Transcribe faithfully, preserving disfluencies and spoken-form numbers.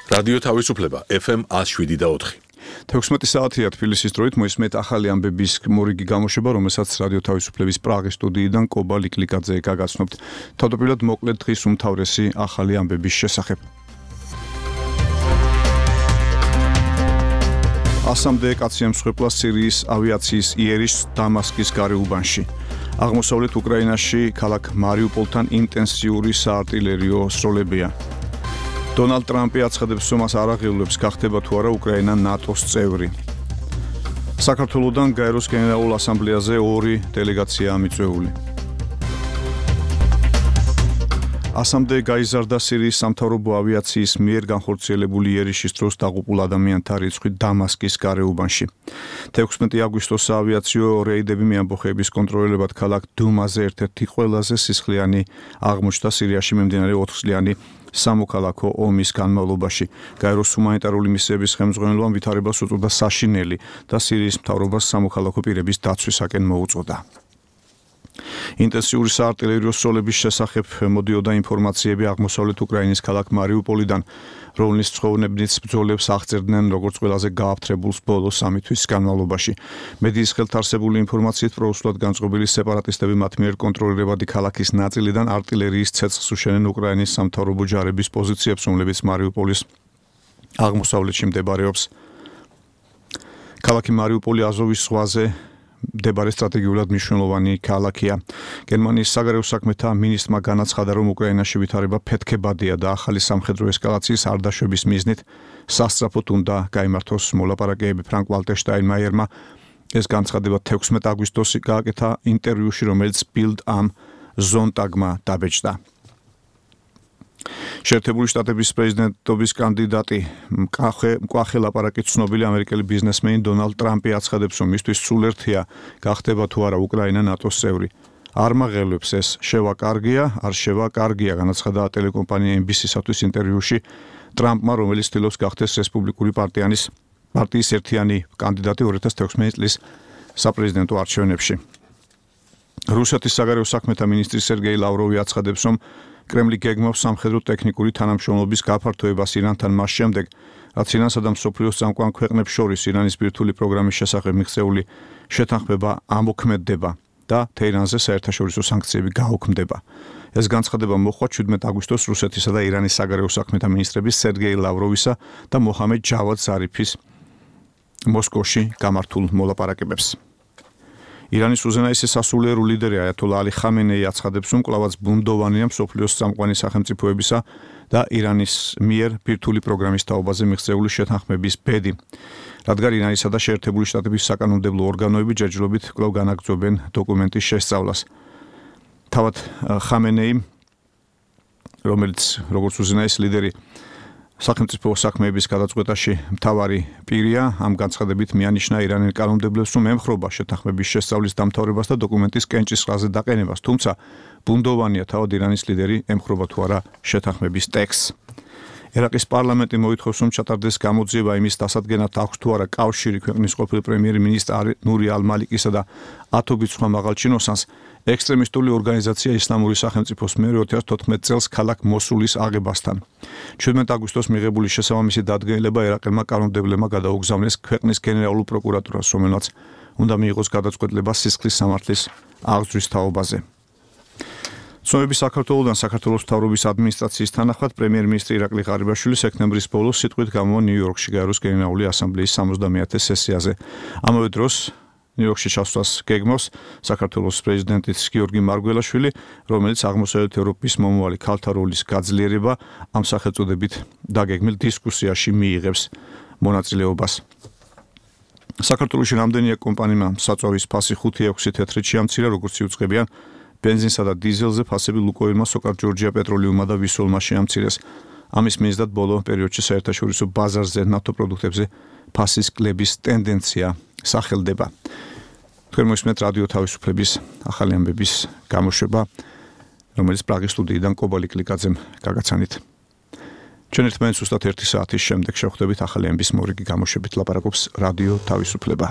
რადიო თავისუფლება ეფ ემ one oh seven და four. თექვსმეტი საათია თბილისის დროით მოისმენთ ახალი ამბების მორიგი გამოშვება, რომელსაც რადიო თავისუფლების პრაღის სტუდიიდან კობა ლიკლიკაძე გაგაცნობთ. თავდაპირველად მოკლედ დღის უმთავრესი ახალი ამბების შესახებ. ასამდე კაცი ემსხვერპლა სირიის ავიაციის იერიშს დამასკის გარეუბანში. აღმოსავლეთ უკრაინაში ქალაქ მარიუპოლთან ინტენსიური საარტილერიო სროლებია. დონალდ ტრამპი აცხადებს, რომ მას არ აღიარებს გახდება თუ არა უკრაინა ნატოს წევრი. საქართველოსთან გაეროს გენერალურ ასამბლეაზე ორი დელეგაციაა მიწვეული. ასამდე გაიზარდა სირიის სამთავრობო ავიაციის მიერ განხორციელებული იერიშის დროს დაღუპულ ადამიანთა რიცხვი დამასკის გარეუბანში. თექვსმეტი აგვისტოს საავიაციო რეიდები მეამბოხეების კონტროლებად ქალაქ დუმაზე ერთ-ერთი ყველაზე სისხლიანი აღმოჩნდა სირიაში მიმდინარე ოთხწლიანი სამოქალაქო ომის განმავლობაში. გაეროს ჰუმანიტარული მისიების ხელმძღვანელმა ვითარებას უწოდა საშინელი და სირიის მთავრობას სამოქალაქო პირების დაცვისაკენ მოუწოდა. ინტენსიური საარტილერიო სროლების შესახებ მოდიოდა ინფორმაციები აღმოსავლეთ უკრაინის ქალაქ მარიუპოლიდან, რომლის მცხოვრებნიც ბრძოლებს აღწერდნენ როგორც ყველაზე გააფთრებულს ბოლო სამი თვის განმავლობაში. მედიის ხელთ არსებული ინფორმაციით პროუსულად განწყობილი სეპარატისტები მათ მიერ კონტროლირებადი ქალაქის ნაწილიდან არტილერიის ცეცხლს უშენენ უკრაინის სამთავრობო ჯარების პოზიციებს, რომლებიც მარიუპოლის აღმოსავლეთში მდებარეობს. ქალაქი მარიუპოლი აზოვის ზღვაზე მდებარე სტრატეგიულად მნიშვნელოვანი ქალაქია. გერმანიის საგარეო საქმეთა მინისტრმა განაცხადა, რომ უკრაინაში ვითარება ფეთქებადია და ახალი სამხედრო ესკალაციის არ დაშვების მიზნით სასწრაფოდ უნდა გაიმართოს მოლაპარაკებები. ფრანკ ვალტერ შტაინმაიერმა ეს განცხადება თექვსმეტი აგვისტოს გააკეთა ინტერვიუში, რომელიც ბილდ ამ ზონტაგმა დაბეჭდა. შეერთებული შტატების პრეზიდენტობის კანდიდატი მკვახე ლაპარაკით ცნობილი ამერიკელი ბიზნესმენი დონალდ ტრამპი აცხადებს, რომ მისთვის სულერთია გახდება თუ არა უკრაინა ნატოს წევრი. არ მაღელვებს ეს შევა კარგია, არ შევა კარგია, განაცხადა ტელეკომპანია ემ ბი სი-სათვის ინტერვიუში ტრამპმა, რომელიც ცდილობს გახდეს რესპუბლიკური პარტიანის პარტიის ერთიანი კანდიდატი ორი ათას თექვსმეტი წლის საპრეზიდენტო არჩევნებში. რუსეთის საგარეო საქმეთა მინისტრი სერგეი ლავროვი აცხადებს, რომ კრემლი გეგმავს სამხედრო ტექნიკური თანამშრომლობის გაფართოებას ირანთან მას შემდეგ, რაც ირანსა და მსოფლიოს წამყვან ქვეყნებს შორის ირანის ბირთვული პროგრამის შესახებ მიღწეული შეთანხმება ამოქმედდება და თეირანზე საერთაშორისო სანქციები გაუქმდება. ეს განცხადება მოხდა შვიდმეტი აგვისტოს რუსეთისა და ირანის საგარეო საქმეთა მინისტრების სერგეი ლავროვისა და მოჰამედ ჯავად ზარიფის მოსკოვში გამართულ მოლაპარაკებებს. ირანის უზენაესი სასულიერო ლიდერი აიათოლა ალი ხამენეი აცხადებს, რომ კვლავაც ბუნდოვანია მსოფლიოს წამყვანი სახელმწიფოებისა და ირანის მიერ ბირთვული პროგრამის თაობაზე მიღწეული შეთანხმების ბედი, რადგან ირანისა და შეერთებული შტატების საკანონმდებლო ორგანოები ჯერჯერობით კვლავ განაგრძობენ დოკუმენტის შესწავლას. თავად ხამენეი, რომელიც როგორც უზენაესი ლიდერი სახელმწიფო საქმეების გადაწყვეტაში მთავარი პირია, ამ განცხადებით მიანიშნა ირანელ კანონმდებლებს, რომ ემხრობა შეთანხმების შესწავლის დამთავრებას და დოკუმენტის კენჭისყრაზე დაყენებას, თუმცა ბუნდოვანია თავად ირანის ლიდერი ემხრობა თუ არა შეთანხმების ტექსტს. ერაყის პარლამენტი მოითხოვს, რომ ჩატარდეს გამოძიება იმის დასადგენად, აქვს თუ არა კავშირი ქვეყნის ყოფილ პრემიერ-მინისტრ ნური ალ-მალიკისა და ათობით სხვა მაღალჩინოსანს ექსტრემისტული ორგანიზაცია ისლამური სახელმწიფოს მიერ ორი ათას თოთხმეტი წელს ქალაქ მოსულის აღებასთან. შვიდმეტი აგვისტოს მიღებული შესაბამისი დადგენილება ერაყელმა კანონმდებლებმა გადაუგზავნეს ქვეყნის გენერალურ პროკურატურას, რომელმაც უნდა მიიღოს გადაწყვეტილება სისხლის სამართლის აღძვრის თაობაზე. ცნობები საქართველოსთან საქართველოს მთავრობის ადმინისტრაციის თანახმად პრემიერ-მინისტრი ირაკლი ღარიბაშვილი სექტემბრის ბოლოს სიტყვით გამოვა ნიუ-იორკში გაეროს გენერალური ასამბლეის სამოცდამეათე სესიაზე. ამავე დროს ნიუ-იორკში ჩასვლას გეგმავს საქართველოს პრეზიდენტიც გიორგი მარგველაშვილი, რომელიც აღმოსავლეთ ევროპის მომავალი ქალთა როლის გაძლიერება ამ სახელწოდებით დაგეგმილ დისკუსიაში მიიღებს მონაწილეობას. საქართველოში რამდენია კომპანიმა საწვავის ფასი ხუთი ექვსი თეთრით შეამცირა, როგორც იუწყებიან ბენზინსა და დიზელზე ფასები ლუკოილმა, სოკარ ჯორჯია პეტროლიუმმა და ვისოლმა შეამცირეს. ამის მიზნად ბოლო პერიოდში საერთაშორისო ბაზარზე ნავთობპროდუქტებზე ფასის კლების ტენდენცია სახელდება. თქვენ მოსმენთ რადიო თავისუფლების ახალი ამბების გამოშვება, რომელიც პრაღის სტუდიიდან კობა ლიკლიკაძემ გაგაცანით. ჩვენ ერთმანეთს უბრალოდ ერთი საათის შემდეგ შევხვდებით ახალი ამბის მორიგი გამოშვებით. ლაპარაკობს რადიო თავისუფლება.